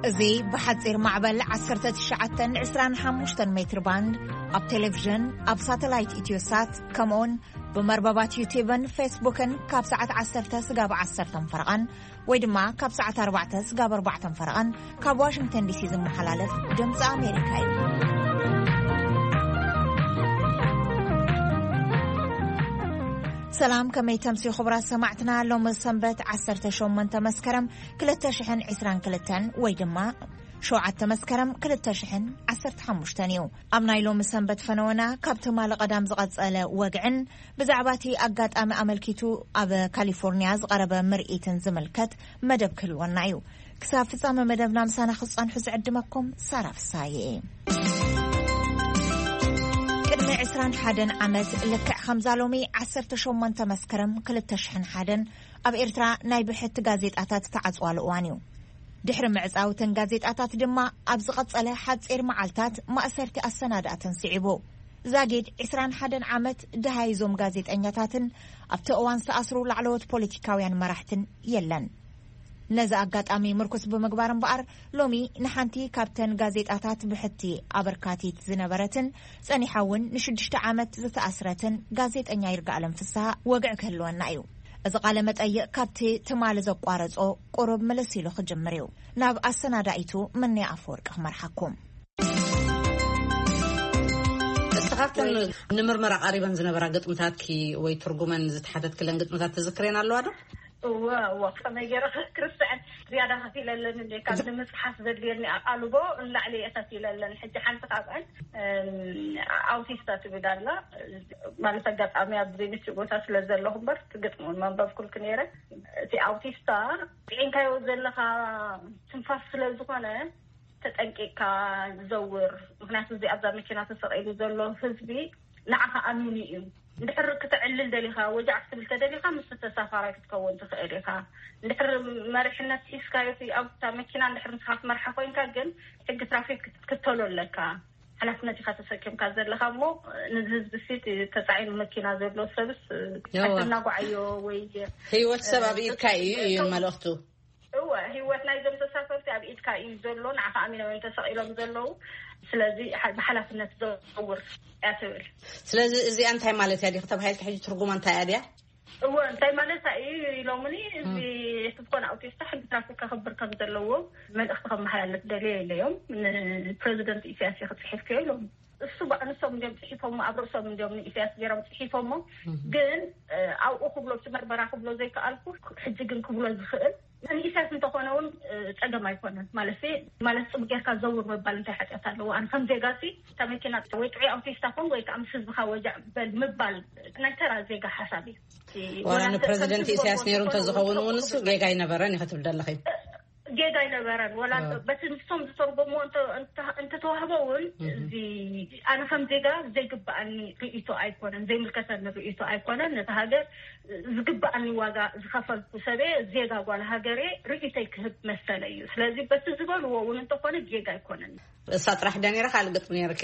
እዚ ብሓጺር ማዕበል ዓሰርተ ትሽዓተ ዕስራን ሓሙሽተን ሜትር ባንድ ኣብ ቴሌቪዥን፣ ኣብ ሳተላይት ኢትዮሳት፣ ከምኡውን ብመርበባት ዩቲዩብን ፌስቡክን ካብ ሰዓት ዓሰርተ ስጋብ ዓሰርተ ፈረቓን ወይ ድማ ካብ ሰዓት ኣርባዕተ ስጋብ ኣርባዕተ ፈረቓን ካብ ዋሽንግተን ዲሲ ዝመሓላለፍ ድምፂ ኣሜሪካ እዩ። ሰላም፣ ከመይ ተምሲ ክቡራት ሰማዕትና? ሎሚ ሰንበት ዓሰርተ ሸሞንተ መስከረም ክልተ ሽሕን ዕስራን ክልተን ወይ ድማ ሸውዓተ መስከረም ክልተ ሽሕን ዓሰርተ ሓሙሽተን እዩ። ኣብ ናይ ሎሚ ሰንበት ፈነወና ካብ ትማሊ ቀዳም ዝቐጸለ ወግዕን ብዛዕባ እቲ ኣጋጣሚ ኣመልኪቱ ኣብ ካሊፎርኒያ ዝቐረበ ምርኢትን ዝምልከት መደብ ክህልወና እዩ። ክሳብ ፍጻመ መደብና ምሳና ክትጸንሑ ዝዕድመኩም ሳራ ፍሳዬ። ቅድሚ ዕስራን ሓደን ዓመት ልክዕ ከምዛ ሎሚ ዓሰርተ ሸሞንተ መስከረም ክልተ ሽሕን ሓደን ኣብ ኤርትራ ናይ ብሕቲ ጋዜጣታት ዝተዓጽዋሉ እዋን እዩ። ድሕሪ ምዕጻውትን ጋዜጣታት ድማ ኣብ ዝቐጸለ ሓጺር መዓልታት ማእሰርቲ ኣሰናዳእትን ስዒቡ። ዛጊድ ዕስራን ሓደን ዓመት ደሃይዞም ጋዜጠኛታትን ኣብቲ እዋን ዝተኣስሩ ላዕለዎት ፖለቲካውያን መራሕትን የለን። ነዚ ኣጋጣሚ ምርኩስ ብምግባር እምበኣር፣ ሎሚ ንሓንቲ ካብተን ጋዜጣታት ብሕቲ ኣበርካቲት ዝነበረትን ጸኒሓ እውን ንሽዱሽተ ዓመት ዝተኣስረትን ጋዜጠኛ ይርጋኣለም ፍስሃ ወግዒ ክህልወና እዩ። እዚ ቃለ መጠይቕ ካብቲ ትማሊ ዘቋረጾ ቁሩብ ምልስ ኢሉ ክጅምር እዩ። ናብ ኣሰናዳኢቱ ምንያ ኣፈወርቂ ክመርሓኩም። እስኻብተን ንምርመራ ቀሪበን ዝነበራ ግጥምታትኪ ወይ ትርጉመን ዝተሓተትክለን ግጥምታት ትዝክሬን ኣለዋ ዶ? እወ፣ እወ፣ ከመይ ገይረ ክርስትዐን ዝያዳ ከፊለለን እንዴ፣ ካብ ንምጽሓፍ ዘድልየኒ ኣቓልቦ ንላዕሊ እየ ከፊለለን። ሕጂ ሓንቲ ካብአን፣ እም፣ ኣውቲስታ ትብል ኣላ። ማለት ኣጋጣሚ ኣብዚ ምቹእ ቦታ ስለ ዘለኹ እምበር፣ እቲ ግጥሚ እውን መንበብኩልኪ ነይረ። እቲ ኣውቲስታ፣ ጥዒንካዮ ዘለኻ ትንፋስ ስለ ዝኾነ፣ ተጠንቂቕካ ዘውር። ምኽንያቱ፣ እዚ ኣብዛ መኪና ተሰቒሉ ዘሎ ህዝቢ ንዓኻ ኣሚኑ እዩ። እንድሕር ክተዕልል ደሊኻ፣ ወጃዕ ክትብል ተደሊኻ፣ ምስ ተሳፋራይ ክትከውን ትኽእል ኢኻ። እንድሕር መሪሕነት ሒዝካዮ፣ እቲ ኣብታ መኪና እንድሕር ንስኻ ትመርሓ ኮይንካ ግን፣ ሕጊ ትራፊክ ክት-፣ ክትከተሎ ኣለካ። ሓላፍነት ኢኻ ተሰኪምካ ዘለኻ እሞ፣ ነዚ ህዝቢ ሲ ተጻዒኑ መኪና ዘሎ ሰብስ፣ እወ። ኣይተናጓዓዮ ወይ፣ ህይወት ሰብ ኣብ እ፣ ኢድካ እዩ፣ እዩ ከም መልእኽቱ። እወ፣ ህይወት ናይዞም ተሳፈርቲ ኣብ ኢድካ እዩ ዘሎ፣ ንዓኻ ኣሚኖም እዮም ተሰቒሎም ዘለዉ። ስለዚ፣ ሓ-፣ ብሓላፍነት ዘውር እያ ትብል። ስለዚ፣ እዚኣ እንታይ ማለት እያ ዲኺ ተባሂልኪ፣ ሕጂ ትርጉማ እንታይ እያ ድያ? እወ፣ እንታይ ማለት እዩ ኢሎምኒ፣ እዚ እም። ሕዝኮን ኣውቲስታ ሕጊ ትራፊክ ከኽብር ከም ዘለዎ መልእኽቲ ከመሓላልፍ ደልየ ኢለዮም። ንፕረዚደንት ኢሳያስ እየ ክጽሒፍክዮ ኢሎም። እሱ ባ-፣ ንሶም እንዲዮም ጽሒፎሞ፣ ኣብ ርእሶም እንዲዮም ንኢሳያስ ገይሮም ጽሒፎሞ። እም። ግን፣ እ፣ ኣብኡ ክብሎ፣ እቲ መርመራ ክብሎ ዘይከኣልኩ፣ ሕጂ ግን ክብሎ ዝኽእል፣ ንኢሳያስ እንተኾነ እውን፣ እ፣ ጸገም ኣይኮነን። ማለት፣ ማለት ጽቡቅ ጌርካ ዘውር ምባል እንታይ ሓጢኣት ኣለዎ? ኣነ ከም ዜጋ ሲ፣ እታ መኪና ወይ ጥዑይ ኣውቲስታ ኮን ወይ ከዓ ምስ ህዝብኻ ወጃዕ በል ምባል ናይ ተራ ዜጋ ሓሳብ እዩ። እቲ ዋላ ወላ እንተ ንፕረዚደንት ከም ኢሳያስ ህዝቢ ነይሩ ዝኾነ እንተዝኸውን እውን እሱ ክብል ጌጋ ኣይነበረን ኢኺ ትብል ዘለኺ? ጌጋ ኣይነበረን። ወላ እ። በቲ ንሶም ዝተርጎምዎ እንተ-፣ እንተ-፣ እንተተዋህቦ እውን እህ። እዚ ኣነ ከም ዜጋ ዘይግብኣኒ ርእይቶ ኣይኮነን፣ ዘይምልከተኒ ርእይቶ ኣይኮነን። ነቲ ሃገር ዝግብኣኒ ዋጋ ዝኸፈልኩ ሰበ ዜጋ ጓል ሃገሬ ርእይቶይ ክህብ መሰለ እዩ። ስለዚ በቲ ዝበልዎ እውን እንተኾነ ጌጋ ኣይኮነን። እሳ ጥራሕ ድያ ነይራ ካልእ ግጥሚ ነይርኪ?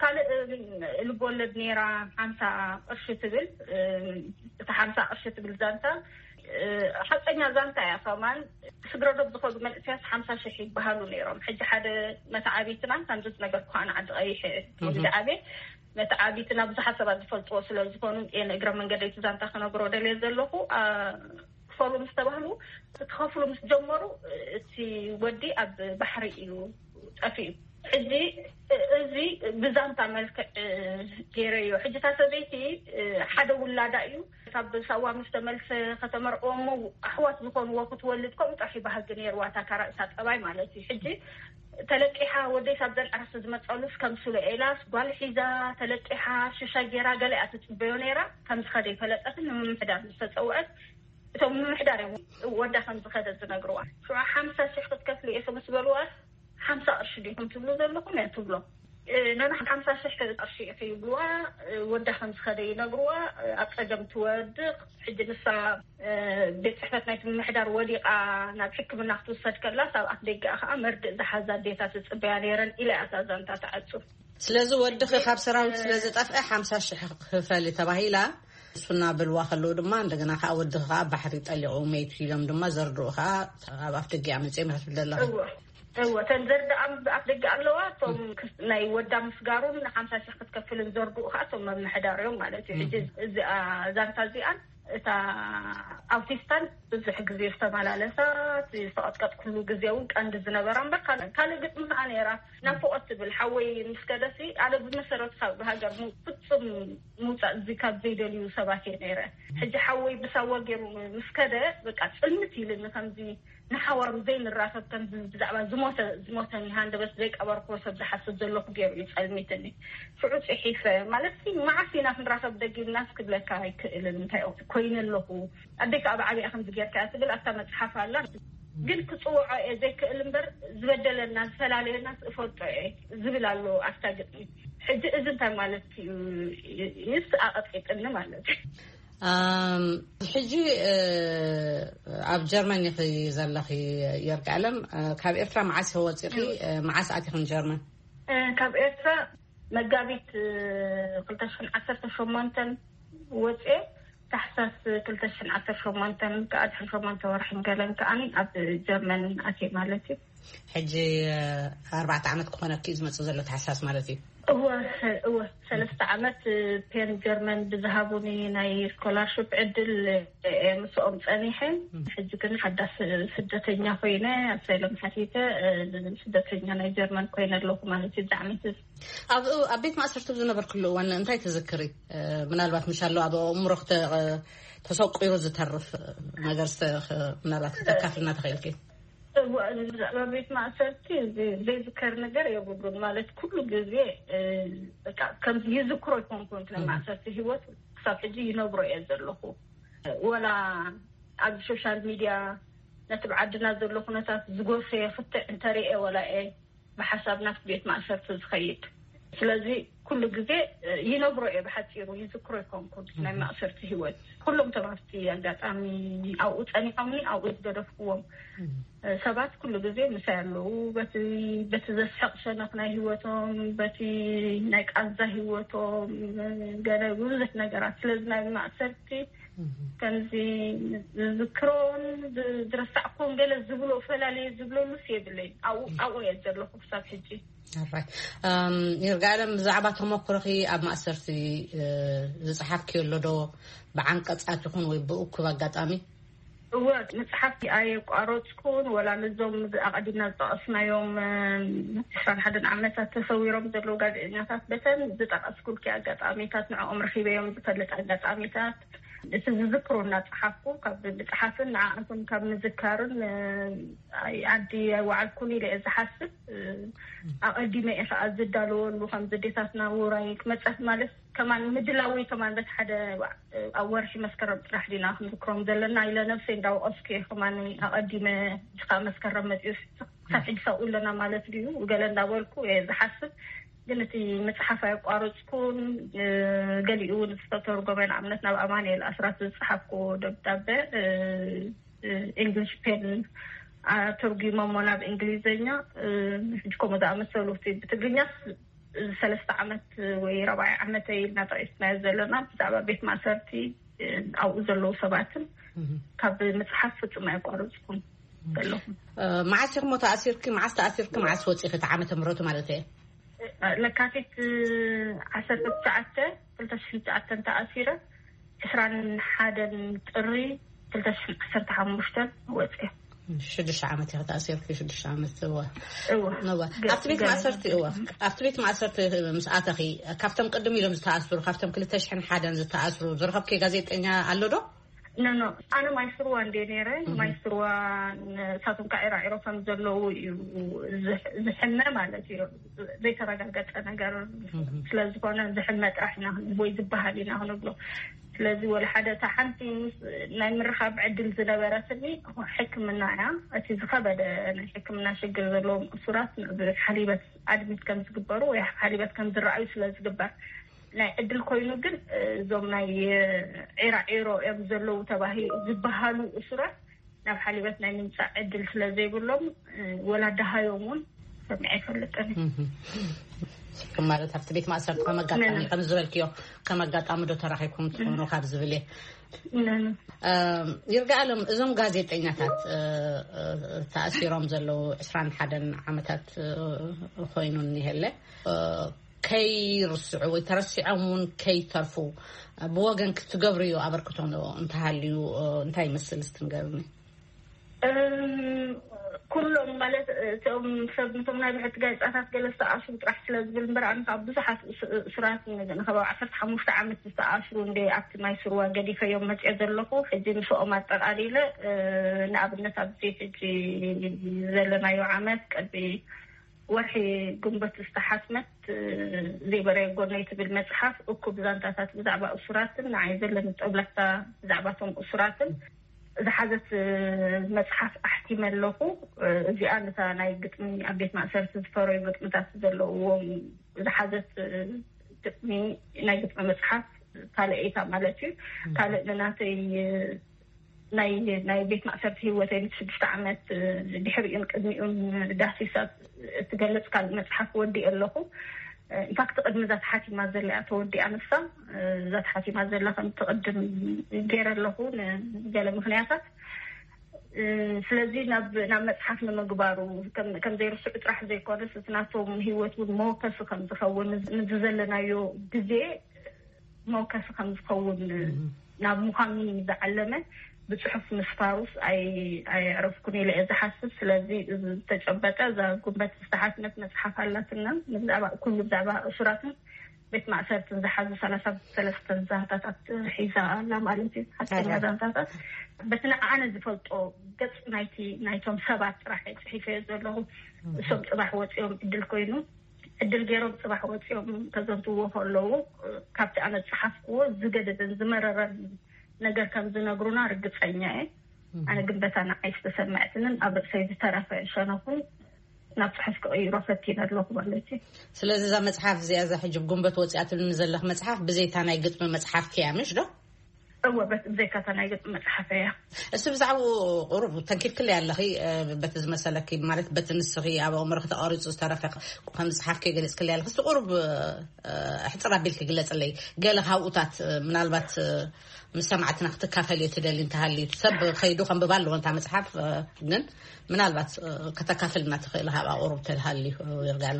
ካልእ፣ እም፣ ልቦለድ ነይራ፣ ሓምሳ ቅርሺ ትብል፣ እም፣ እታ ሓምሳ ቅርሺ ትብል ዛንታ፣ እ፣ ሓቀኛ ዛንታ እያ ከማን። ስግረ ዶብ ዝኸዱ መንእሰያት ሓምሳ ሽሕ ይበሃሉ ነይሮም። ሕጂ ሓደ መተዓቢትና፣ ከምዚ ዝነገርኩ ከኣ ንዓዲ ቀይሕ እህ። ወዲ ዓብየ፣ መተዓቢትና ብዙሓት ሰባት ዝፈልጥዎ ስለ ዝኾኑ፣ እየ ንእግረ መንገደይ እቲ ዛንታ ክነግሮ ደልየ ዘለኹ። ኣ፣ ክፈሉ ምስ ተባህሉ፣ ክኸፍሉ ምስ ጀመሩ፣ እቲ ወዲ ኣብ ባሕሪ እዩ ጠፊኡ። ሕጂ እዚ ብዛንታ መልክዕ ገይረዮ። ሕጂ እታ ሰበይቲ ሓደ ውላዳ እዩ። ካብ ሳዋ ምስ ተመልሰ ከተመርዕዎ እሞ ኣሕዋት ዝኾንዎ ክትወልድ ከምኡ ጥራሕ እዩ ባህጊ ነይርዋ፣ እታ ካራእሳ ጠባይ ማለት እዩ። ሕጂ ተለቂሓ፣ ወደይ ሳብ ዘን ዕረፍቲ ዝመጸሉስ ከም ስሎ ኤላስ ጓል ሒዛ ተለቂሓ ሽሻይ ገይራ ገለ እያ ትጽበዮ ነይራ። ከም ዝኸደ ይፈለጠትን ንምምሕዳር ምስ ተጸውዐት እቶም ምምሕዳር እዮም ወዳ ከም ዝኸደ ዝነግርዋ። ሽዑ ሓምሳ ሽሕ ክትከፍሊ ኢኹም ምስ በልዋ፣ ሓምሳ ቅርሺ ዲኹም ትብሉ ዘለኹም እያ ትብሎ። እ፣ ነና ሓምሳ ሽሕ ቅርሺ ኢኺ ይብልዋ። እ፣ ወዳ ከም ዝኸደ ይነግርዋ። እ፣ ኣብ ጸገም ትወድቕ። ሕጂ ንሳ፣ እ፣ ቤት ጽሕፈት ናይቲ ምምሕዳር ወዲቓ ናብ ሕክምና ክትውሰድ ከላ፣ ኣብ ኣፍ ደገኣ ከኣ መርድእ ዝሓዛ ኣዴታት ዝጽበያ ነይረን ኢላ እያ እታ ዛንታ ትዓጹ። ስለዚ ወድኺ ካብ ሰራዊት ስለ ዝጠፍአ ሓምሳ ሽሕ ክፈሊ ተባሂላ፣ እሱና በልዋ ከለዉ ድማ እንደገና ከኣ ወድኺ ከኣ ባሕሪ ጠሊቑ መይቱ ኢሎም ድማ ዘርድኡ ከኣ ኣብ ኣፍ ደገኣ መጺኦም ኢኻ ትብል ዘለኺ። እወ። እወ፣ እተን ዘርድኣም ኣፍ ደገ ኣለዋ። እቶም ክስ- ናይ ወዳ ምስጋሩን ሓምሳ ሺሕ ክትከፍልን ዘርድኡ ከዓ እቶም መምሕዳር እዮም ማለት እዩ። ሕጂ እዚኣ ዛንታ እዚኣን እታ ኣውቲስታን ብዙሕ ግዜ ዝተመላለሳ ዝተቐጥቀጥኩሉ ግዜ እውን ቀንዲ ዝነበራ እምበር ካልእ ካልእ ግጥሚ ከዓ ነይራ። ናፍቆት ትብል ሓወይ ምስ ከደሲ ኣነ ብመሰረቱ ካብ ሃገር ሙ- ፍጹም ምውፃእ እዚ ካብ ዘይደልዩ ሰባት እየ ነይረ። ሕጂ ሓወይ ብሳዋ ገይሩ ምስ ከደ በቃ ጽልምት ኢልኒ ከምዚ ንሓዋሩ ዘይንራኸብ ከምዚ ብዛዕባ ዝሞተ ዝሞተኒ ሃንደበት ዘይቀበርክዎ ሰብ ዝሓስብ ዘለኹ ገይሩ እዩ ጸልሚትኒ። ሽዑ ጽሒፈ ማለት ሲ መዓስ ኢና ክንራኸብ ደጊምና ክብለካ ኣይክእልን እንታይ ኮይነ ኣለኹ። ኣደይ ከዓ ብዓብያ ከምዚ ጌርካ እያ ትብል ኣብታ መፅሓፍ ኣላ። ግን ክፅውዖ እየ ዘይክእል እምበር ዝበደለና ዝፈላለየና እፈልጦ እየ ዝብል ኣሎ ኣብታ ግጥሚ። ሕጂ እዚ እንታይ ማለት እዩ? ይስ ኣቐጢጥኒ ማለት እዩ። ኣም፣ ሕጂ እ፣ ኣብ ጀርመን ኢኺ ዘለኺ? የርጋለም፣ እ፣ ካብ ኤርትራ መዓስ ኢኺ ወፂኺ? እ፣ መዓስ ኣቲኽን ጀርመን? እ፣ ካብ ኤርትራ መጋቢት እ፣ ክልተ ሽሕን ዓሰርተ ሸሞንተን ወፅኤ ታሕሳስ ክልተ ሽሕን ዓሰርተ ሸሞንተን ከዓ ድሕሪ ሸሞንተ ወርሕን ገለን ከዓኒ ኣብ ጀርመን ኣትየ ማለት እዩ። ሕጂ እ፣ ኣርባዕተ ዓመት ክኾነኪ እዩ ዝመፅእ ዘሎ ታሕሳስ ማለት እዩ። እወ ሰ- እወ ሰለስተ ዓመት እ፣ ፔን ጀርመን ብዝሃቡኒ ናይ ስኮላርሽፕ ዕድል እ፣ ምስኦም ፀኒሐ። ሕጂ ግን ሓዳስ ስደተኛ ኮይነ ኣሳይሎም ሓቲተ እ፣ ስደተኛ ናይ ጀርመን ኮይነ ኣለኹ ማለት እዩ። እዚ ዓመት እዚ ኣብ ኣብ ቤት ማእሰርቲ ዝነበርክሉ እዋን እንታይ ትዝክሪ? እ፣ ምናልባት ምሻሎ ኣብ ኣእምሮኽ ተ- ተሰቂሩ ዝተርፍ ነገር ዝተ- ምናልባት ክተካፍልና ተኽእልኪ? እዋ፣ ብዛዕባ ቤት ማእሰርቲ ዘ- ዘይዝከር ነገር የብሉን። ማለት ኩሉ ግዜ እ፣ በቃ ከም ይዝክሮ ይኮንኩን ናይ ማእሰርቲ ህይወት ክሳብ ሕጂ ይነብሮ እየ ዘለኹ። ወላ ኣብ ሶሻል ሚድያ ነቲ ብዓድና ዘሎ ኩነታት ዝጎሰየ ክትዕ እንተሪኤ ወላ እየ ብሓሳብ ናብቲ ቤት ማእሰርቲ ዝኸይድ። ስለዚ ኩሉ ግዜ እ፣ ይነብሮ እየ ብሓፂሩ ይዝክሮ ይኮንኩን ናይ ማእሰርቲ ህይወት። ኩሎም ተማርቲ ኣጋጣሚ ኣብኡ ፀኒሖምኒ ኣብኡ ዝገደፍኩዎም እ፣ ሰባት ኩሉ ግዜ ምሳይ ኣለዉ። በቲ በቲ ዘስሕቕ ሸነኽ ናይ ህይወቶም፣ በቲ ናይ ቃንዛ ህይወቶም፣ ገለ ብዙሕ ነገራት ስለዚ ናይ ማእሰርቲ ከምዚ ዝዝክሮን ዝ- ዝረሳዕኩን ገለ ዝብሎ ፈላለየ ዝብለሉስ የብለይ። ኣብኡ ኣብኡ እየ ዘለኹ ክሳብ ሕጂ። ኣራይ ይርጋለም፣ ብዛዕባ ተመክሮኺ ኣብ ማእሰርቲ እ፣ ዝፀሓፍክዮ ኣሎ ዶ? ብዓንቀፃት ይኹን ወይ ብእኩብ ኣጋጣሚ? እወ፣ መፅሓፍቲ ኣየቋረፅኩን። ወላ ነዞም ኣቐዲምና ዝጠቐስናዮም እ፣ ዕስራን ሓደን ዓመታት ተሰዊሮም ዘለዉ ጋዜጠኛታት በተን ዝጠቐስኩልኪ ኣጋጣሚታት ንዕኦም ረኺበዮም ዝፈልጥ ኣጋጣሚታት እቲ ዝዝክሮ እናፀሓፍኩ ካብ ምፅሓፍን ንዓኣቶም ካብ ምዝካርን እ፣ ኣይ- ዓዲ ኣይወዓልኩን ኢለ እየ ዝሓስብ። እ፣ ኣቐዲመ እየ ከዓ ዝዳለወሉ ከም ዘዴታትና ውራይ ክመፀት ማለት ከማን ምድላወይ ከማን በቲ ሓደ እ፣ ኣብ ወርሒ መስከረም ጥራሕ ዲና ክንዝክሮም ዘለና ኢለ ነብሰይ እንዳወቐስኩ እየ። ከማን ኣቐዲመ እጅኻ መስከረም መፅኡ ክሳብ ሕጂ ሳብኡ ኣለና ማለት ድዩ ገለ እንዳበልኩ እየ ዝሓስብ። ግን እቲ ምፅሓፍ ኣየቋረፅኩን። እ፣ ገሊኡ እውን ዝተተርጎመ ንኣብነት ናብ ኣማኑኤል ኣስራት ዝፀሓፍኩዎ ደብዳበ እ፣ እ፣ እንግሊሽ ፔን ኣተርጉሞሞ ናብ እንግሊዝኛ እ፣ ሕጂ ከምኡ ዝኣመሰሉ እቲ ብትግርኛስ እዚ ሰለስተ ዓመት ወይ ራብዓይ ዓመተይ ኢልና ጠቂስናዮ ዘለና ብዛዕባ ቤት ማእሰርቲ እ፣ ኣብኡ ዘለዉ ሰባትን ካብ ምፅሓፍ ፍፁም ኣየቋረፅኩን ዘለኹ። እ፣ መዓስ ኢኹም ተኣሲርኪ? መዓስ ተኣሲርኪ? መዓስ ወፂኺ? እቲ ዓመተ ምህረቱ ማለት እየ። ለካቲት ዓሰርተ ትሽዓተ ክልተ ሽሕን ትሽዓተን ተኣሲረ ዕስራን ሓደን ጥሪ ክልተ ሽሕን ዓሰርተ ሓሙሽተን ወፅየ። ሽዱሽተ ዓመት ኢኺ ተኣሲርኪ? ሽዱሽተ ዓመት። እወ። እወ። እወ። ኣብቲ ቤት ማእሰርቲ እወ፣ ኣብቲ ቤት ማእሰርቲ ምስ ኣተኺ ካብቶም ቅድም ኢሎም ዝተኣስሩ ካብቶም ክልተ ሽሕን ሓደን ዝተኣስሩ ዝረኸብኪ ጋዜጠኛ ኣሎ ዶ? ኖ ኖ፣ ኣነ ማይ ስርዋ እንደ ነይረ። ማይ ስርዋ ንሳቶም ከዓ ዒራዒሮ ከም ዘለዉ እዩ ዝሕ- ዝሕመ ማለት እዩ። ዘይተረጋገፀ ነገር ስለዝኾነ ዝሕመ ጥራሕ ኢና ክንብል ወይ ዝበሃል ኢና ክንብሎ። ስለዚ ወላ ሓደ እታ ሓንቲ ምስ- ናይ ምርኻብ ዕድል ዝነበረትኒ ሕክምና እያ። እቲ ዝኸበደ ናይ ሕክምና ሽግር ዘለዎም እሱራት ናብ ሓሊበት ኣድሚት ከም ዝግበሩ ወይ ሓሊበት ከም ዝረኣዩ ስለ ዝግበር ናይ ዕድል ኮይኑ ግን እዞም ናይ ዒራዒሮ እዮም ዘለዉ ተባሂ ዝበሃሉ እሱራት ናብ ሓሊበት ናይ ምምፃእ ዕድል ስለ ዘይብሎም ወላ ደሃዮም እውን ሰሚዐ ኣይፈልጥን። ማለት ኣብቲ ቤት ማእሰርቲ ከም ኣጋጣሚ ከም ዝበልክዮ ከም ኣጋጣሚ ዶ ተራኺብኩም ትኾኑ ካብ ዝብል እየ። ይርጋኣሎም፣ እዞም ጋዜጠኛታት ተኣሲሮም ዘለዉ ዕስራን ሓደን ዓመታት ኮይኑ እኒሀለ፣ ከይርስዑ ወይ ተረሲዖም እውን ከይተርፉ ብወገን ክትገብርዮ ኣበርክቶ እንተሃልዩ እንታይ ይመስል? ስትንገርኒ ኩሎም ማለት እቶም ሰብ ነቶም ናይ ብሕቲ ጋዜጣታት ገለ ዝተኣስሩ ጥራሕ ስለ ዝብል እምበር፣ ኣነ ካብ ብዙሓት እሱራት ንከባቢ ዓሰርተ ሓሙሽተ ዓመት ዝተኣስሩ እንደ ኣብቲ ማይ ስርዋ ገዲፈዮም መፅኦ ዘለኹ። ሕጂ ምስኦም ኣጠቃሊለ ንኣብነት ኣብዚ ሕጂ ዘለናዮ ዓመት ቅድሚ ወርሒ ግንቦት ዝተሓትመት ዘይበረየ ጎነይ ትብል መፅሓፍ እኩብ ዛንታታት ብዛዕባ እሱራትን ንዓይ ዘለኒ ጠብላታ ብዛዕባቶም እሱራትን ዝሓዘት መፅሓፍ ኣሕቲመ ኣለኹ። እዚኣ ነታ ናይ ግጥሚ ኣብ ቤት ማእሰርቲ ዝፈረዩ ግጥምታት ዘለውዎም ዝሓዘት ግጥሚ ናይ ግጥሚ መፅሓፍ ካልእ እይታ ማለት እዩ። ካልእ ንናተይ ናይ ናይ ቤት ማእሰርቲ ህይወተይ ምስ ሽዱሽተ ዓመት ድሕሪኡን ቅድሚኡን ዳሲሳ እትገልፅ ካልእ መፅሓፍ ወዲእ ኣለኹ። ኢንፋክት ቅድሚ እዛ ተሓቲማ ዘላ እያ ተወዲኣ ንሳ። እዛ ተሓቲማ ዘላ ከም ትቕድም ገይረ ኣለኹ ንገለ ምክንያታት። ስለዚ ናብ ናብ መፅሓፍ ንምግባሩ ከም ዘይርስዑ ጥራሕ ዘይኮነስ እቲ ናቶም ህይወት እውን መወከሲ ከም ዝኸውን ንዝዘለናዮ ግዜ መወከሲ ከም ዝኸውን ናብ ምዃኑ ዝዓለመ ብፅሑፍ ምስፋሩስ ኣየዕረፍኩን ኢለ እየ ዝሓስብ። ስለዚ ዝተጨበጠ እዛ ጉንበት ዝተሓትመት መፅሓፍ ኣላትና ብዛዕባ ኩሉ ብዛዕባ እሱራትን ቤት ማእሰርትን ዝሓዙ ሰላሳ ሰለስተን ዛንታታት ሒዛ ኣላ ማለት እዩ። ሓቀኛ ዛንታታት በቲ ንዓነ ዝፈልጦ ገፅ ናይቲ ናይቶም ሰባት ጥራሕ እየ ፅሒፈዮ ዘለኹ። እሶም ፅባሕ ወፂኦም ዕድል ኮይኑ ዕድል ገይሮም ፅባሕ ወፂኦም ከዘንትዎ ከለዉ ካብቲ ኣነ ዝፀሓፍክዎ ዝገደደን ዝመረረን ነገር ከም ዝነግሩና ርግፀኛ እየ። ኣነ ግን በታ ንዓይ ዝተሰመዐትንን ኣብ ርእሰይ ዝተረፈ ሸነኹን ናብ ፅሑፍ ክቕይሮ ፈቲነ ኣለኹ ማለት እዩ። ስለዚ እዛ መፅሓፍ እዚኣ እዛ ሕጂ ጉንበት ወፂኣትልኒ ዘለኽ መፅሓፍ ብዘይታ ናይ ግጥሚ መፅሓፍ ክያ ምሽ ዶ? እወ ብዘይካታ ናይ ገጽ መጽሓፈ እያ። እሱ ብዛዕባኡ ቁሩብ ተንኪልክለይ ኣለኺ። በቲ ዝመሰለኪ ማለት በቲ ንስኺ ኣብ ኣእምሮኺ ተቐሪጹ ዝተረፈ ከም ዝጸሓፍኪ ገሊጽክለይ ኣለኺ። እስቲ ቁሩብ ሕጽር ኣቢልኪ ግለጽለይ። ገለ ካብኡታት ምናልባት ምስ ሰማዕትና ክትካፈልዮ ትደሊ እንተሃልዩ ሰብ ከይዱ ከንብባ ኣለዎ እንታ መጽሓፍ ግን ምናልባት ከተካፍልና ትኽእል ካብ ኣቁሩብ ተልሃልዩ ይርጋሉ።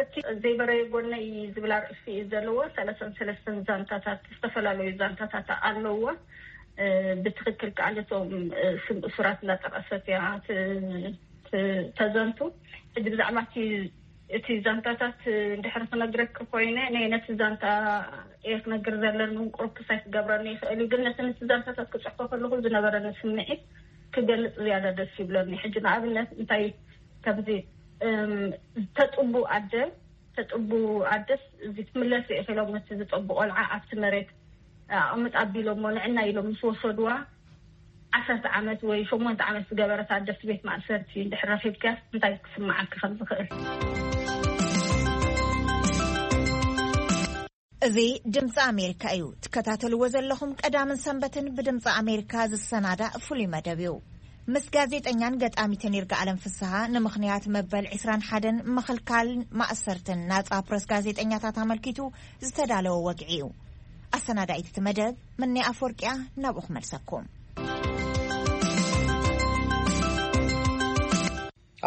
እቲ ዘይበረየ ጎነይ ዝብል ኣርእስቲ እዩ ዘለዎ። ሰለሰን ሰለስተን ዛንታታት ዝተፈላለዩ ዛንታታት ኣለዎ። ብትክክል ከዓ ነቶም ስም እሱራት እንዳጠቀሰት እያ ተዘንቱ። ሕጂ ብዛዕባ እቲ ዛንታታት እንድሕር ክነግረክ ኮይነ ናይ ነቲ ዛንታ እየ ክነግር ዘለኒ እውን ቁሩብ ክሳይ ክገብረኒ ይኽእል እዩ። ግን ነቲ ነቲ ዛንታታት ክፅሕፎ ከለኹ ዝነበረኒ ስምዒት ክገልፅ ዝያዳ ደስ ይብለኒ። ሕጂ ንኣብነት እንታይ ከምዚ ተጥቡ ኣደ ተጥቡ ኣደስ እዚ ትምለስ ኢኺ ኢሎም ነቲ ዝጠቡ ቆልዓ ኣብቲ መሬት ኣቕምጥ ኣቢሎሞ ንዕና ኢሎም ምስ ወሰድዋ ዓሰርተ ዓመት ወይ ሸሞንተ ዓመት ዝገበረት ኣደስ ቤት ማእሰርቲ እንድሕር ረኺብክያስ እንታይ ክስምዓኪ ከም ዝኽእል። እዚ ድምፂ ኣሜሪካ እዩ ትከታተልዎ ዘለኹም። ቀዳምን ሰንበትን ብድምፂ ኣሜሪካ ዝሰናዳእ ፍሉይ መደብ እዩ። ምስ ጋዜጠኛን ገጣሚትን ይርጋኣለም ፍስሃ ንምኽንያት መበል ዕስራን ሓደን ምኽልካል ማእሰርትን ናፃ ፕረስ ጋዜጠኛታት ኣመልኪቱ ዝተዳለወ ወግዒ እዩ። ኣሰናዳኢት እቲ መደብ ምኒ ኣፈወርቅያ ናብኡ ክመልሰኩም።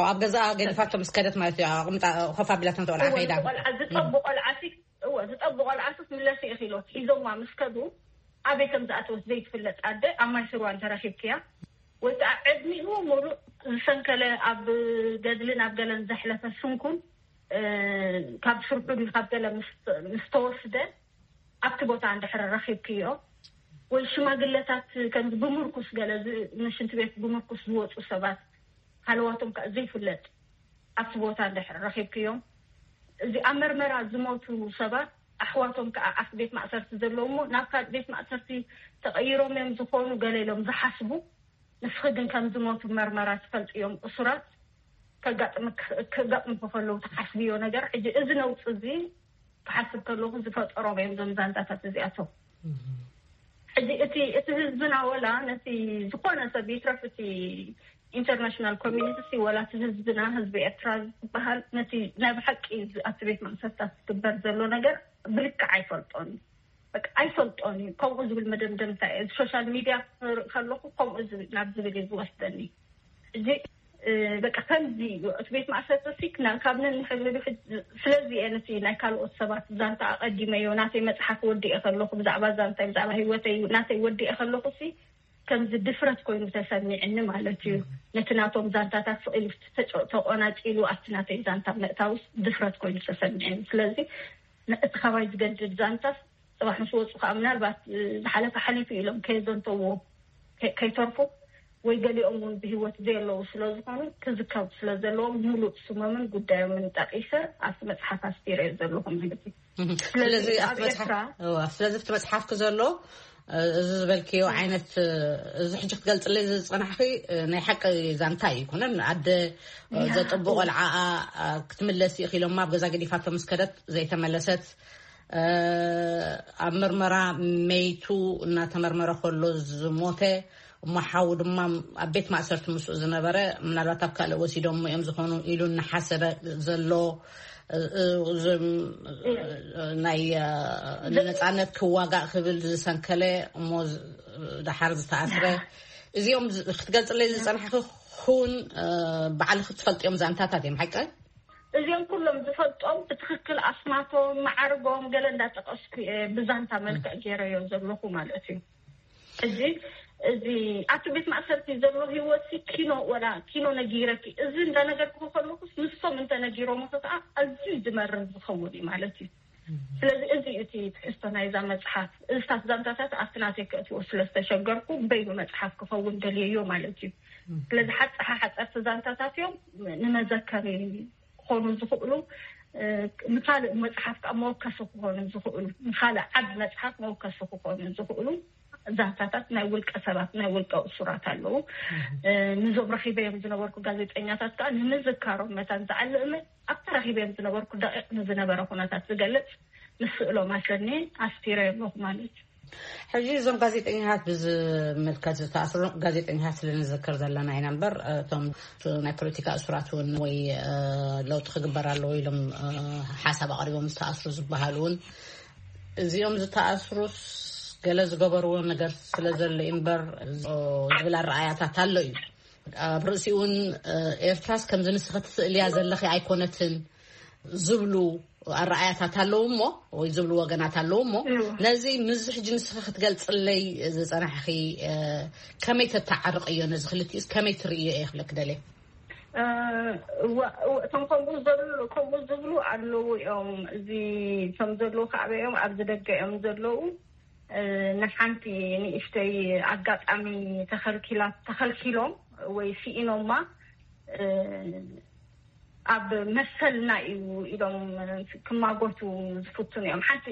ኣብ ገዛኣ ገዲፋቶ ምስ ከደት ማለት እዩ። ኣቕምጣ ኮፍ ኣቢላቶ ንተቆልዓ ከይዳ። ቆልዓ ዝጠቡ ቆልዓ ሲ እወ ዝጠቡ ቆልዓ ሲ ምለሲ ኢኺ ኢሎት ሒዞማ ምስ ከዱ ኣበይ ከም ዝኣተወት ዘይትፍለጥ ኣደ ኣብ ማይ ስርዋ እንተረኺብክያ ወይ ከዓ ዕድሚኡ ሙሉእ ዝሰንከለ ኣብ ገድልን ኣብ ገለን ዘሕለፈ ስንኩል ካብ ስርሑ ድዩ ካብ ገለ ምስ ተወስደ ኣብቲ ቦታ እንድሕር ረኺብክዮ ወይ ሽማግለታት ከምዚ ብምርኩስ ገለ ንሽንቲ ቤት ብምርኩስ ዝወፁ ሰባት ሃለዋቶም ከዓ ዘይፍለጥ ኣብቲ ቦታ እንድሕር ረኺብክዮም እዚ ኣብ መርመራ ዝሞቱ ሰባት ኣሕዋቶም ከዓ ኣብቲ ቤት ማእሰርቲ ዘለዉ እሞ ናብ ካልእ ቤት ማእሰርቲ ተቐይሮም እዮም ዝኾኑ ገለ ኢሎም ዝሓስቡ ንስኺ ግን ከም ዝሞቱ መርመራ ትፈልጥዮም እሱራት ከጋጥምኪ ከጋጥምኪ ከለዉ ትሓስብዮ ነገር ሕጂ እዚ ነውፂ እዚ ክሓስብ ከለኹ ዝፈጠሮም እዮም እዞም ዛንታታት እዚኣቶም። ሕጂ እቲ እቲ ህዝብና ወላ ነቲ ዝኾነ ሰብ ይትረፍ እቲ ኢንተርናሽናል ኮሚኒቲ፣ ወላ እቲ ህዝብና፣ ህዝቢ ኤርትራ ዝበሃል፣ ነቲ ናይ ብሓቂ ኣብዚ ቤት ማእሰርታት ዝግበር ዘሎ ነገር ብልክዕ ኣይፈልጦን እዩ። በቃ ኣይፈልጦን እዩ። ከምኡ ዝብል መደምደምታ እየ፣ ሶሻል ሚድያ ክርኢ ከለኹ ከምኡ ዝብል፣ ናብ ዝብል እዩ ዝወስደኒ። እዚ በቃ ከምዚ እዩ እቲ ቤት ማእሰርቲ፣ ሲክና ካብ ነንሕድሕዱ ስለዚ እየ ነቲ ናይ ካልኦት ሰባት ዛንታ ኣቐዲመዮ። ናተይ መፅሓፍ ወዲኤ ከለኹ፣ ብዛዕባ ዛንታይ፣ ብዛዕባ ህይወተይ ናተይ ወዲኤ ከለኹ ሲ ከምዚ ድፍረት ኮይኑ ተሰሚዕኒ ማለት እዩ። ነቲ ናቶም ዛንታታት ስቕ ኢሉ ተቆናፂሉ ኣብቲ ናተይ ዛንታ ምእታውስ ድፍረት ኮይኑ ተሰሚዕኒ። ስለዚ እቲ ካባይ ዝገድድ ዛንታ፣ ፅባሕ ምስ ወፁ ከዓ ምናልባት ዝሓለፈ ሓሊፉ ኢሎም ከየዘንተዎ ከይተርፉ፣ ወይ ገሊኦም እውን ብህይወት ዘየለዉ ስለዝኾኑ፣ ክዝከሩ ስለዘለዎም፣ ሙሉእ ስሞምን ጉዳዮምን ጠቂሰ ኣብቲ መፅሓፍ ኣስፊረዮ ዘለኹ ማለት እዩ። ስለዚ ኣብቲ መፅሓፍ ክዘሎ፣ እዚ ዝበልክዮ ዓይነት፣ እዚ ሕጂ ክትገልፅለይ ዝፀናሕኪ ናይ ሓቂ ዛንታ እዩ። ይኮነን፣ ኣደ ዘጥቡ ቆልዓኣ ክትምለስ ይኽኢሎማ ኣብ ገዛ ገዲፋቶ ምስ ከደት ዘይተመለሰት፣ ኣብ ምርመራ መይቱ እናተመርመረ ከሎ ዝሞተ፣ እሞ ሓው ድማ ኣብ ቤት ማእሰርቲ ምስኡ ዝነበረ፣ ምናልባት ኣብ ካልእ ወሲዶሞ እዮም ዝኾኑ ኢሉ እናሓሰበ ዘሎ፣ ናይ ነፃነት ክዋጋእ ክብል ዝሰንከለ፣ እሞ ደሓር ዝተኣስረ፣ እዚኦም ክትገልፅለይ ዝፀናሕኪ፣ ኩን ባዕልኺ ትፈልጥዮም ዛንታታት እዮም፣ ሓቂ? እዚኦም ኩሎም ዝፈልጦም ብትኽክል ኣስማቶም፣ ማዕርጎም ገለ እንዳጠቀስኩ እየ ብዛንታ መልክዕ ገይረዮ ዘለኹ ማለት እዩ። እዚ እዚ ኣብቲ ቤት ማእሰርቲ ዘሎ ህይወት ሲ ኪኖ ወላ ኪኖ ነጊረኪ፣ እዚ እንዳነገርኩ ከለኩስ ንሶም እንተነጊሮም ከዓ ኣዝዩ ዝመርር ዝኸውን እዩ ማለት እዩ። ስለዚ እዚ እዩ እቲ ትሕዝቶ ናይዛ መፅሓፍ። እዝታት ዛንታታት ኣብቲ ናተይ ከእትዎ ስለዝተሸገርኩ በይኑ መፅሓፍ ክኸውን ደልየዮ ማለት እዩ። ስለዚ ሓፀሓ ሓፀርቲ ዛንታታት እዮም፣ ንመዘከሪ ክኾኑ ዝኽእሉ፣ ንካልእ መፅሓፍ ከዓ መወከሲ ክኾኑ ዝኽእሉ፣ ንካልእ ዓቢ መፅሓፍ መወከሲ ክኾኑ ዝኽእሉ ዛንታታት ናይ ውልቀ ሰባት፣ ናይ ውልቀ እሱራት ኣለዉ። ንዞም ረኺበዮም ዝነበርኩ ጋዜጠኛታት ከዓ ንምዝካሮም መታን ዝዓሊ እምነት ኣብቲ ረኺበዮም ዝነበርኩ ደቂቕ ንዝነበረ ኩነታት ዝገልጽ ምስእሎም ኣሰኒ ኣስፊረዮም ኣለኹ ማለት እዩ። ሕጂ እዞም ጋዜጠኛታት ብዝምልከት ዝተኣስሩ ጋዜጠኛታት ስለንዝክር ዘለና ኢና እምበር፣ እቶም ናይ ፖለቲካ እሱራት እውን ወይ ለውጢ ክግበር ኣለዎ ኢሎም ሓሳብ ኣቕሪቦም ዝተኣስሩ ዝበሃሉ እውን፣ እዚኦም ዝተኣስሩስ ገለ ዝገበርዎ ነገር ስለ ዘሎ እዩ እምበር ዝብል ኣረኣያታት ኣሎ እዩ። ኣብ ርእሲ እውን ኤርትራስ ከምዚ ንስኺ ትስእልያ ዘለኺ ኣይኮነትን ዝብሉ ኣረኣያታት ኣለዉ እሞ፣ ወይ ዝብሉ ወገናት ኣለዉ እሞ፣ ነዚ ምዚ ሕጂ ንስኺ ክትገልፅለይ ዝፀናሕኺ ከመይ ተተዓርቕዮ? ነዚ ክልቲኡስ ከመይ ትርእዮ እየ ክብለኪ ደልየ። እቶም ከምኡ ዘሉ ከምኡ ዝብሉ ኣለዉ እዮም። እዚ ከም ዘለዉ ካዕበ እዮም ኣብዚ ደገ እዮም ዘለዉ። ንሓንቲ ንእሽተይ ኣጋጣሚ ተኸልኪላ ተኸልኪሎም ወይ ስኢኖማ ኣብ መሰልና እዩ ኢሎም ክማጎቱ ዝፍትኑ እዮም። ሓንቲ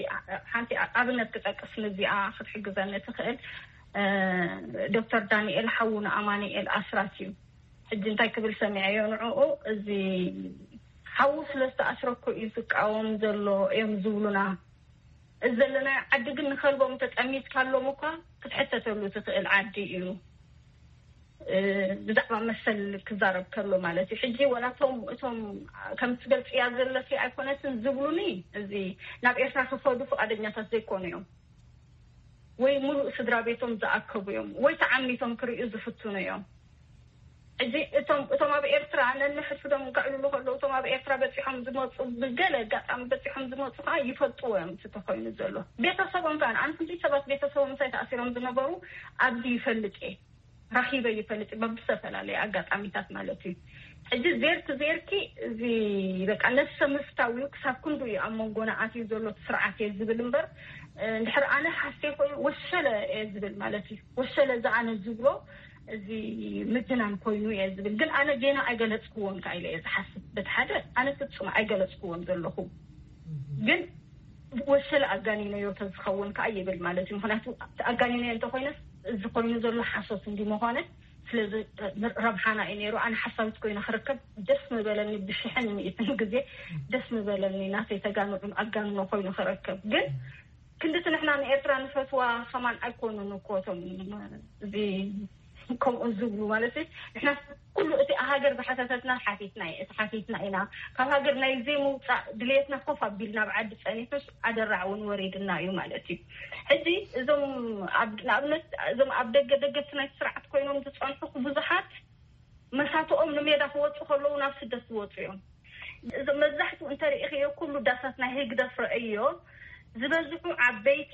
ሓንቲ ኣብነት ክጠቅስ ንዚኣ ክትሕግዘኒ ትኽእል። ዶክተር ዳንኤል ሓዉ ንኣማኑኤል ኣስራት እዩ። ሕጂ እንታይ ክብል ሰሚዐዮ ንዕኡ፣ እዚ ሓዉ ስለ ዝተኣስረኮ እዩ ዝቃወም ዘሎ እዮም ዝብሉና። እዚ ዘለናዮ ዓዲ ግን ንኸልቦም ተጠሚትካሎም እኳ ክትሕተተሉ ትኽእል ዓዲ እዩ። ብዛዕባ መሰል ክዛረብ ከሎ ማለት እዩ። ሕጂ ወላቶም እቶም ከም ትገልፅያ ዘለሲ ኣይኮነትን ዝብሉኒ፣ እዚ ናብ ኤርትራ ክኸዱ ፍቓደኛታት ዘይኮኑ እዮም። ወይ ሙሉእ ስድራ ቤቶም ዝኣከቡ እዮም፣ ወይ ተዓሚቶም ክርእዩ ዝፍትኑ እዮም። ሕጂ እቶም እቶም ኣብ ኤርትራ ነንሕድሕዶም ከዕልሉ ከለዉ፣ እቶም ኣብ ኤርትራ በፂሖም ዝመፁ፣ ብገለ ኣጋጣሚ በፂሖም ዝመፁ ከዓ ይፈልጥዎ እዮም እቲ ተኮይኑ ዘሎ ቤተሰቦም። ከዓ ኣነ ክንደይ ሰባት ቤተሰቦም ምሳይ ተኣሲሮም ዝነበሩ ኣብዚ ይፈልጥ እየ፣ ረኺበ ይፈልጥ እየ፣ በብዝተፈላለየ ኣጋጣሚታት ማለት እዩ። ሕጂ ዜርክ ዜርኪ እዚ በቃ ነፍሰ ምፍታው እዩ፣ ክሳብ ክንዱ እዩ ኣብ መንጎና ኣትዩ ዘሎ እቲ ስርዓት እየ ዝብል እምበር፣ እንድሕር ኣነ ሓሴ ኮይኑ ወሸለ እየ ዝብል ማለት እዩ። ወሸለ እዚ ኣነ ዝብሎ እዚ ምድናን ኮይኑ እየ ዝብል፣ ግን ኣነ ጌና ኣይገለፅክዎን ከዓ ኢለ እየ ዝሓስብ። በቲ ሓደ ኣነ ፍጹም ኣይገለፅክዎን ዘለኹ፣ ግን ወሸለ ኣጋኒነዮ ተዝኸውን ከዓ ይብል ማለት እዩ። ምክንያቱ ኣጋኒነዮ እንተኮይነስ እዚ ኮይኑ ዘሎ ሓሶት እንዲ መኾነ፣ ስለዚ ረብሓና እዩ ነይሩ። ኣነ ሓሳዊት ኮይነ ክርከብ ደስ ምበለኒ፣ ብሽሕን ሚእትን ግዜ ደስ ምበለኒ ናተይ ተጋንዑን ኣጋንኖ ኮይኑ ክረከብ። ግን ክንድቲ ንሕና ንኤርትራ ንፈትዋ ከማን ኣይኮኑን እኮ እቶም እዚ ከምኡ ዝብሉ ማለት እዩ። ንሕና ኩሉ እቲ ሃገር ዝሓተተትና ሓቲትና እዩ፣ እቲ ሓቲትና ኢና። ካብ ሃገር ናይ ዘይምውፃእ ድልየትና ኮፍ ኣቢልና ኣብ ዓዲ ፀኒሑስ ኣደራዕ እውን ወሪድና እዩ ማለት እዩ። ሕዚ እዞም ኣብ- ንኣብነት እዞም ኣብ ደገ ደገፍቲ ናይቲ ስርዓት ኮይኖም ዝፀንሑ ብዙሓት መሳትኦም ንሜዳ ክወፁ ከለዉ ናብ ስደት ዝወፁ እዮም። እዞም መብዛሕትኡ እንተሪኢኽዮ ኩሉ ዳሳት ናይ ህግደፍ ረእዮ ዝበዝሑ ዓበይቲ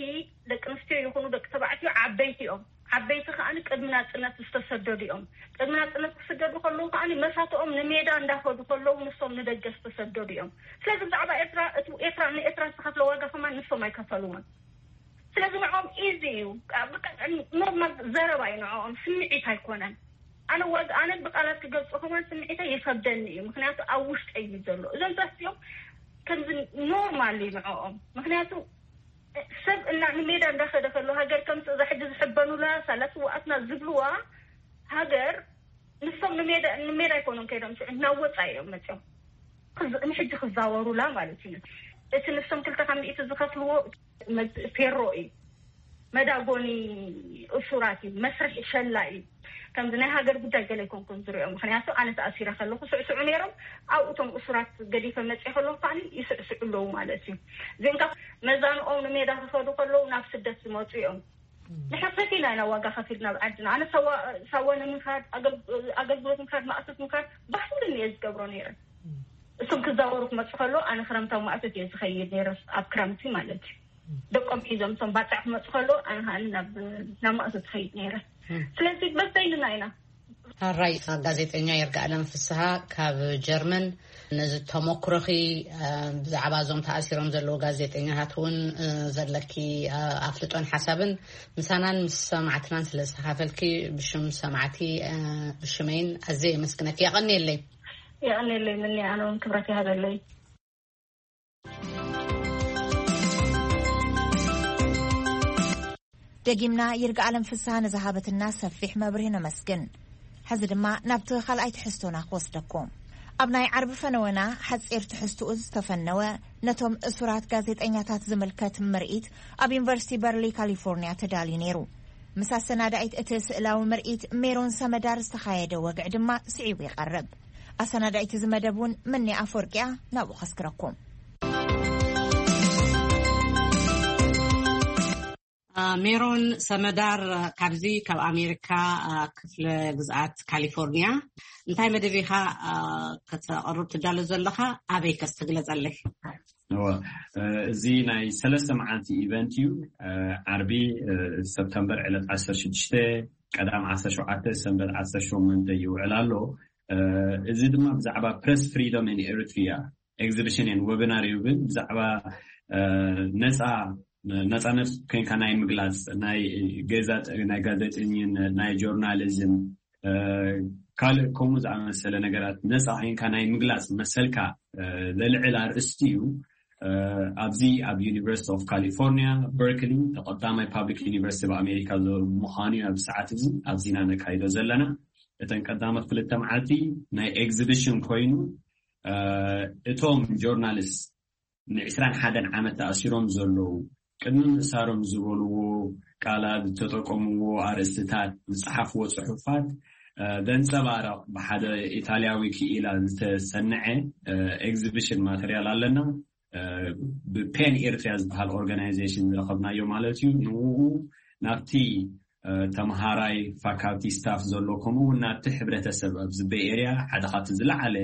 ደቂ ኣንስትዮ ይኹኑ ደቂ ተባዕትዮ ዓበይቲ እዮም። ዓበይቲ ከኣ ቅድሚ ናጽነት ዝተሰደዱ እዮም። ቅድሚ ናጽነት ክስደዱ ከለዉ ከኣ መሳትኦም ንሜዳ እንዳኸዱ ከለዉ ንሶም ንደገ ዝተሰደዱ እዮም። ስለዚ ብዛዕባ ኤርትራ እቲ ኤርትራ ንኤርትራ ዝተኸፍለ ዋጋ ከማን ንሶም ኣይከፈልዎን። ስለዚ ንዕኦም ኢዚ እዩ። ብቃ- ኖርማል ዘረባ እዩ፣ ንዕኦም ስምዒት ኣይኮነን። ኣነ ዋጋ ኣነ ብቃላት ክገልጾ ከማን ስምዒተይ ይኸብደኒ እዩ፣ ምክንያቱ ኣብ ውሽጠይ እዩ ዘሎ። እዞም ዛት እዚኦም ከምዚ ኖርማል እዩ ንዕኦም፣ ምክንያቱ ሰብ እና ንሜዳ እንዳኸደ ከሎ ሃገር ከምቲ እዛ ሕጂ ዝሕበኑላ ሳላ ስዋኣትና ዝብልዋ ሃገር ንሶም ንሜዳ ንሜዳ ኣይኮኑን ከይዶም ሽዑ ናብ ወፃኢ እዮም መፅኦም ክዝ- ንሕጂ ክዛወሩላ ማለት እዩ። እቲ ንሶም ክልተ ካብ ሚእቲ ዝኸፍልዎ መ- ፌሮ እዩ፣ መዳጎኒ እሱራት እዩ፣ መስርሒ ሸላ እዩ። ከምዚ ናይ ሃገር ጉዳይ ገለ ኣይኮንኩን ዝሪኦ፣ ምክንያቱ ኣነ ተኣሲረ ከለኩ ስዕስዑ ነይሮም፣ ኣብኡ እቶም እሱራት ገዲፈ መፅእ ከለኩ ከዓ ይስዕስዑ ኣለዉ ማለት እዩ። እዚኦም ካብ መዛንኦም ንሜዳ ክኸዱ ከለዉ ናብ ስደት ዝመፁ እዮም። ንሕፍረት ኢና ኢና ዋጋ ከፊልና ኣብ ዓድና። ኣነ ሳዋ ሳዋ ንምኻድ ኣገል- ኣገልግሎት ምኻድ ማእቶት ምኻድ ባሕልን እየ ዝገብሮ ነይረ። እሶም ክዛወሩ ክመፁ ከሎ ኣነ ክረምታዊ ማእቶት እየ ዝኸይድ ነይረ፣ ኣብ ክረምቲ ማለት እዩ። ደቆም ሒዞም እሶም ባፅዕ ክመፁ ከሎ ኣነ ከዓ ናብ ናብ ማእቶት ትኸይድ ነይረ። ስለዚ በበይንና ኢና። ኣራይ፣ ጋዜጠኛ ይርጋኣለም ፍስሃ ካብ ጀርመን፣ ነዚ ተመክሮኺ ብዛዕባ እዞም ተኣሲሮም ዘለዉ ጋዜጠኛታት እውን ዘለኪ ኣፍልጦን ሓሳብን ምሳናን ምስ ሰማዕትናን ስለ ዝተኻፈልኪ ብሽም ሰማዕቲ ብሽመይን ኣዘ የመስግነኪ። የቐንየለይ። የቐንየለይ። ምን ኣነ እውን ክብረት ይሃበለይ። ደጊምና ይርጋ ኣለም ፍስሃ ንዝሃበትና ሰፊሕ መብርሂ ነመስግን። ሕዚ ድማ ናብቲ ካልኣይ ትሕዝቶና ክወስደኩም። ኣብ ናይ ዓርቢ ፈነወና ሓጺር ትሕዝትኡ ዝተፈነወ ነቶም እሱራት ጋዜጠኛታት ዝምልከት ምርኢት ኣብ ዩኒቨርሲቲ በርሊ ካሊፎርኒያ ተዳልዩ ነይሩ። ምስ ኣሰናዳኢት እቲ ስእላዊ ምርኢት ሜሮን ሰመዳር ዝተኻየደ ወግዒ ድማ ስዒቡ ይቐርብ። ኣሰናዳኢት እዚ መደብ እውን ምኒ ኣፈወርቂያ ናብኡ ከስክረኩም። ሜሮን ሰመዳር ካብዚ ካብ ኣሜሪካ ክፍለ ግዝኣት ካሊፎርኒያ እንታይ መደብ ኢኻ ከተቕርብ ትዳሎ ዘለኻ? ኣበይ ከስ ትግለጸለይ? እወ፣ እዚ ናይ ሰለስተ መዓልቲ ኢቨንት እዩ። ዓርቢ ሰፕተምበር ዕለት ዓሰርተ ሽዱሽተ፣ ቀዳም ዓሰርተ ሸውዓተ፣ ሰንበት ዓሰርተ ሸሞንተ ይውዕል ኣሎ። እዚ ድማ ብዛዕባ ፕረስ ፍሪደም ን ኤሪትሪያ ኤግዚቢሽን ን ወብናር ይብል ብዛዕባ ነፃ ነፃነት ኮንካ ናይ ምግላፅ ናይ ገዛ ናይ ጋዜጠኝነት ናይ ጆርናሊዝም ካልእ ከምኡ ዝኣመሰለ ነገራት ነፃ ኮንካ ናይ ምግላፅ መሰልካ ዘልዕል ኣርእስቲ እዩ። ኣብዚ ኣብ ዩኒቨርሲቲ ኦፍ ካሊፎርኒያ በርክሊ ተቐዳማይ ፓብሊክ ዩኒቨርሲቲ ኣብ ኣሜሪካ ምዃኑ እዩ ኣብዚ ሰዓት እዚ ኣብዚና ነካይዶ ዘለና። እተን ቀዳሞት ክልተ መዓልቲ ናይ ኤግዚቢሽን ኮይኑ እቶም ጆርናሊስት ንዕስራን ሓደን ዓመት ተኣሲሮም ዘለዉ ቅድሚ ምእሳሮም ዝበልዎ ቃላት ዝተጠቀምዎ ኣርእስትታት ዝፀሓፍዎ ፅሑፋት ዘንፀባረቕ ብሓደ ኢታልያዊ ክኢላ ዝተሰንዐ ኤግዚቢሽን ማተርያል ኣለና። ብፔን ኤርትሪያ ዝበሃል ኦርጋናይዜሽን ዝረኸብናዮ ማለት እዩ። ንኡ ናብቲ ተምሃራይ ፋካልቲ ስታፍ ዘሎ ከምኡ እውን ናብቲ ሕብረተሰብ ኣብዚ ቤይ ኤርያ ሓደ ካብቲ ዝለዓለ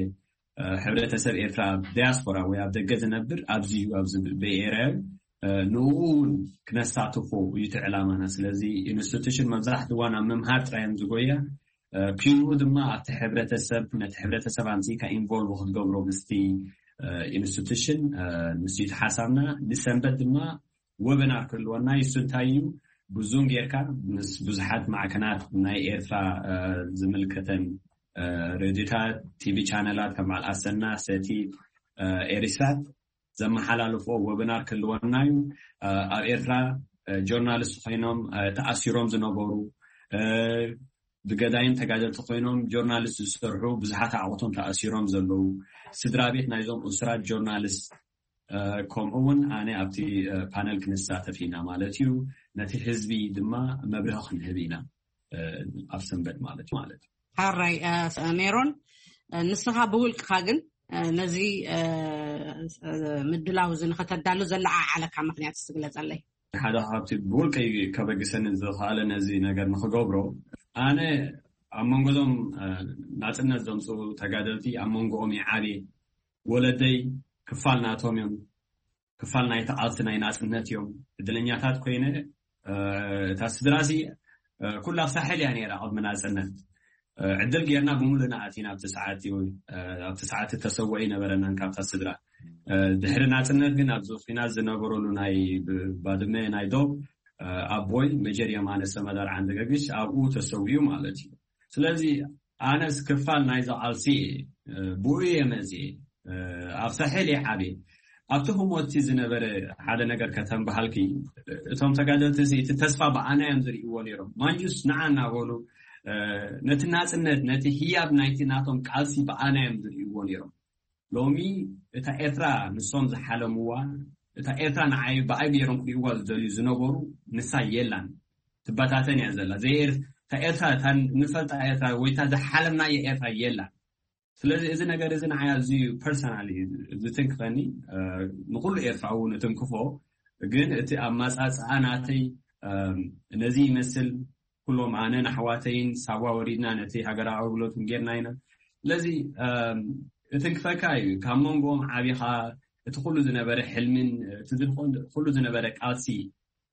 ሕብረተሰብ ኤርትራ ኣብ ዳያስፖራ ወይ ኣብ ደገ ዝነብር ኣብዚ እዩ ኣብዚ ቤይ ኤርያ እዩ። ንኡ እውን ክነሳትፎ እዩ እቲ ዕላማና። ስለዚ ኢንስቲቱሽን መብዛሕትዋ ናብ ምምሃር ጥራይ እዮም ዝጎያ። ፒንኡ ድማ ኣብቲ ሕብረተሰብ ነቲ ሕብረተሰብ ኣምፅእካ ኢንቮልቭ ክትገብሮ ምስቲ ኢንስቲቱሽን ንሱ እቲ ሓሳብና። ንሰንበት ድማ ወበናር ክህልወና ይሱ እንታይ እዩ ብዙን ጌርካ ምስ ብዙሓት ማዕከናት ናይ ኤርትራ ዝምልከተን ሬድዮታት ቲቪ ቻነላት ከም በዓል ኣሰና ሰቲ ኤሪሳት ዘመሓላልፎ ወብናር ክህልወና እዩ። ኣብ ኤርትራ ጆርናሊስት ኮይኖም ተኣሲሮም ዝነበሩ ብገዳይም ተጋደልቲ ኮይኖም ጆርናሊስት ዝሰርሑ ብዙሓት ኣዕቑቶም ተኣሲሮም ዘለዉ ስድራ ቤት ናይዞም እሱራት ጆርናሊስት ከምኡ እውን ኣነ ኣብቲ ፓነል ክንሳተፍ ኢና ማለት እዩ። ነቲ ህዝቢ ድማ መብርሂ ክንህብ ኢና። ኣብ ሰንበት ማለት ማለት እዩ። ሓራይ ሜሮን፣ ንስኻ ብውልቅኻ ግን ነዚ ምድላው እዚ ንኸተዳሉ ዘለዓዓለካ ምኽንያት ትግለጸለይ? ሓደ ካብቲ ብውልቀይ ከበግሰኒ ዝኸኣለ ነዚ ነገር ንኽገብሮ፣ ኣነ ኣብ መንጎ እዞም ናጽነት ዘምፅኡ ተጋደልቲ፣ ኣብ መንጎኦም ይዓብየ። ወለደይ ክፋል ናቶም እዮም። ክፋል ናይቲ ቃልሲ ናይ ናጽነት እዮም። ዕድለኛታት ኮይነ፣ እታ ስድራሲ ኩላ ሳሕል እያ ነይራ ቅድሚ ናጽነት። ዕድል ጌርና ብምሉእና ኣቲና ኣብቲ ሰዓት እዩ። ኣብቲ ሰዓት ተሰወኢ ነበረናን ካብታ ስድራ። ድሕሪ ናጽነት ግን ኣብዚ ኩናት ዝነበረሉ ናይ ባድመ ናይ ዶብ ኣቦይ መጀር የማነ ሰመዳር ዓንደገግሽ ኣብኡ ተሰዊኡ ማለት እዩ። ስለዚ ኣነስ ክፋል ናይዚ ቃልሲ ብኡ እየ መፅየ። ኣብ ሳሕል እየ ዓብየ። ኣብቲ ህሞትቲ ዝነበረ ሓደ ነገር ከተንበሃልኪ፣ እቶም ተጋደልቲ እዚ እቲ ተስፋ ብኣና እዮም ዝርእይዎ ነይሮም። ማንጁስ ንዓ እናበሉ ነቲ ናፅነት፣ ነቲ ህያብ ናይቲ ናቶም ቃልሲ ብኣና እዮም ዝርእይዎ ነይሮም። ሎሚ እታ ኤርትራ ንሶም ዝሓለምዋ፣ እታ ኤርትራ ንዓይ ብኣይ ገይሮም ክርእይዋ ዝደልዩ ዝነበሩ ንሳ የላን። ትበታተን እያ ዘላ። እታ ኤርትራ፣ እታ ንፈልጣ ኤርትራ ወይ እታ ዝሓለምናዮ ኤርትራ የላን። ስለዚ እዚ ነገር እዚ ንዓይ ኣዝዩ ፐርሰናል እዩ ዝትንክፈኒ። ንኩሉ ኤርትራዊ ንትንክፎ፣ ግን እቲ ኣማጻጽኣ ናተይ ነዚ ይመስል። ኩሎም ኣነን ኣሕዋተይን ሳዋ ወሪድና ነቲ ሃገራዊ ኣገልግሎት ጌርና ኢና። ስለዚ እትንክፈካ እዩ። ካብ መንጎኦም ዓቢኻ እቲ ኩሉ ዝነበረ ሕልምን እቲ ኩሉ ዝነበረ ቃልሲ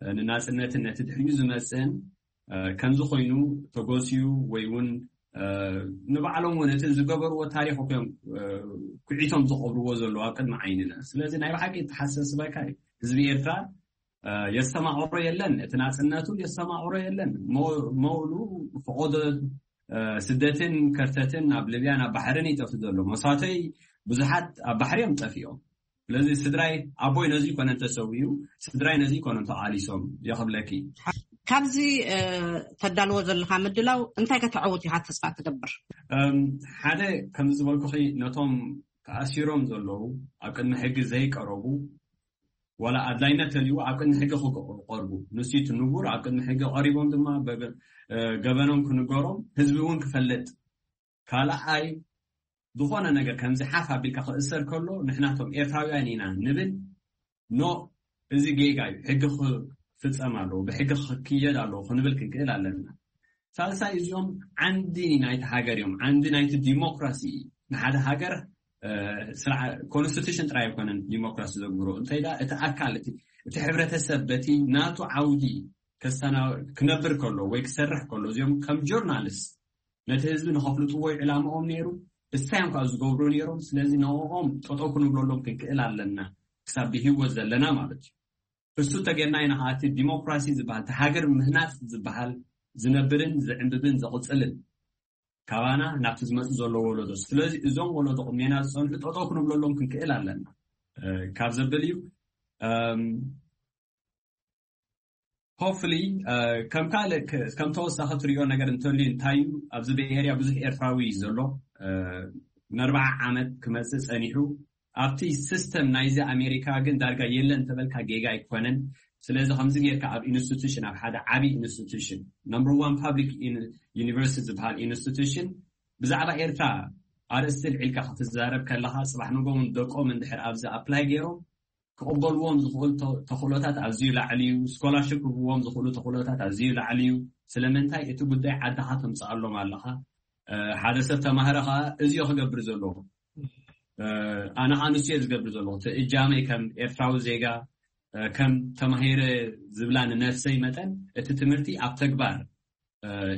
ንናጽነትን ነቲ ድሕሪኡ ዝመጽእን ከምዚ ኮይኑ ተጎስዩ ወይ እውን ንባዕሎም እውን እቲ ዝገበርዎ ታሪኽ እዮም ኩዒቶም ዝቐብርዎ ዘለዉ ኣብ ቅድሚ ዓይንና። ስለዚ ናይ ብሓቂ ተሓሳስበካ እዩ። ህዝቢ ኤርትራ የስተማቕሮ የለን፣ እቲ ናጽነቱ የስተማቕሮ የለን። መውሉ ፈቐዶ ስደትን ከርተትን ኣብ ልብያን ኣብ ባሕርን ይጠፍ ዘሎ። መሳተይ ብዙሓት ኣብ ባሕሪ እዮም ጠፊኦም። ስለዚ ስድራይ ኣቦይ ነዚ ይኮነ እንተሰዊኡ፣ ስድራይ ነዚ ይኮነ እንተቓሊሶም የኽብለኪ። ካብዚ ተዳልዎ ዘለካ ምድላው እንታይ ከተዕውት ኢኻ ተስፋ ትገብር? ሓደ ከምዚ ዝበልኩኺ ነቶም ተኣሲሮም ዘለዉ ኣብ ቅድሚ ሕጊ ዘይቀረቡ ዋላ ኣድላይነት ተልዩ ኣብ ቅድሚ ሕጊ ክቀርቡ፣ ንሱ እቲ ንቡር ኣብ ቅድሚ ሕጊ ቀሪቦም ድማ ገበኖም ክንገሮም ህዝቢ እውን ክፈልጥ። ካልኣይ ዝኾነ ነገር ከምዚ ሓፍ ኣቢልካ ክእሰር ከሎ ንሕናቶም ኤርትራውያን ኢና ንብል። ኖ፣ እዚ ጌጋ እዩ፣ ሕጊ ክፍጸም ኣለዎ፣ ብሕጊ ክክየድ ኣለዎ ክንብል ክንክእል ኣለና። ሳልሳይ እዚኦም ዓንዲ ናይቲ ሃገር እዮም፣ ዓንዲ ናይቲ ዲሞክራሲ። ንሓደ ሃገር ኮንስቲቱሽን ጥራይ ኣይኮነን ዲሞክራሲ ዘግብሮ እንተይ እቲ ኣካል እቲ ሕብረተሰብ በቲ ናቱ ዓውዲ ክነብር ከሎ ወይ ክሰርሕ ከሎ እዚኦም ከም ጆርናሊስት ነቲ ህዝቢ ንኸፍልጥዎ እዩ ዕላምኦም ነይሩ። እሳዮም ከዓ ዝገብሩ ነይሮም። ስለዚ ንኦም ጠጠው ክንብለሎም ክንክእል ኣለና ክሳብ ብህይወት ዘለና ማለት እዩ። እሱ ተጌርና ኢና ከዓ እቲ ዲሞክራሲ ዝበሃል እቲ ሃገር ምህናፅ ዝበሃል ዝነብርን ዝዕንብብን ዘቕፅልን ካባና ናብቲ ዝመፅእ ዘሎ ወለዶ። ስለዚ እዞም ወለዶ ቅድሜና ዝፀንሑ ጠጠው ክንብለሎም ክንክእል ኣለና ካብ ዘብል እዩ። ሆፍሊ ከም ካልእ ከም ተወሳኺ ትሪኦ ነገር እንተልዩ እንታይ እዩ? ኣብዚ ቤይ ኤርያ ብዙሕ ኤርትራዊ እዩ ዘሎ። ንኣርባዓ ዓመት ክመፅእ ፀኒሑ ኣብቲ ሲስተም ናይዚ ኣሜሪካ ግን ዳርጋ የለን እንተበልካ ጌጋ ኣይኮነን። ስለዚ ከምዚ ጌርካ ኣብ ኢንስቲቱሽን ኣብ ሓደ ዓብዪ ኢንስቲቱሽን ነምበር ዋን ፓብሊክ ዩኒቨርሲቲ ዝበሃል ኢንስቲቱሽን ብዛዕባ ኤርትራ ኣርእስቲ ልዒልካ ክትዛረብ ከለኻ ፅባሕ ንጎውን ደቆም እንድሕር ኣብዚ ኣፕላይ ገይሮም ክቕበልዎም ዝኽእሉ ተኽእሎታት ኣዝዩ ላዕሊ እዩ። ስኮላርሽፕ ክህብዎም ዝኽእሉ ተኽእሎታት ኣዝዩ ላዕሊ እዩ። ስለምንታይ እቲ ጉዳይ ዓድኻ ተምፅኣሎም ኣለኻ። ሓደ ሰብ ተማህረ ከዓ እዚዮ ክገብር ዘለዎ ኣነ ከዓ ንሱ እየ ዝገብር ዘለኹ እቲ እጃመይ ከም ኤርትራዊ ዜጋ ከም ተማሂረ ዝብላ ንነፍሰይ መጠን እቲ ትምህርቲ ኣብ ተግባር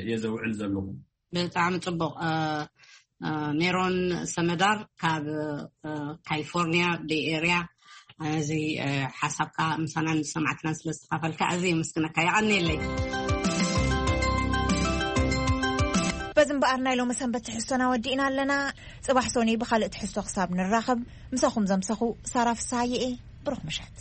እየ ዘውዕል ዘለኹ። ብጣዕሚ ፅቡቕ። ሜሮን ሰመዳር ካብ ካሊፎርኒያ ቤይ ኤርያ፣ እዚ ሓሳብካ ምሳናን ሰማዕትናን ስለ ዝተካፈልካ ኣዝየ የመስግነካ። የቐንየለይ። በዚ እምበኣር ናይ ሎሚ ሰንበት ትሕዝቶና ወዲእና ኣለና። ፅባሕ ሶኒ ብካልእ ትሕዝቶ ክሳብ ንራኸብ ምሳኹም ዘምሰኹ ሳራ ፍስሃየ እየ። ብሩኽ ምሸት።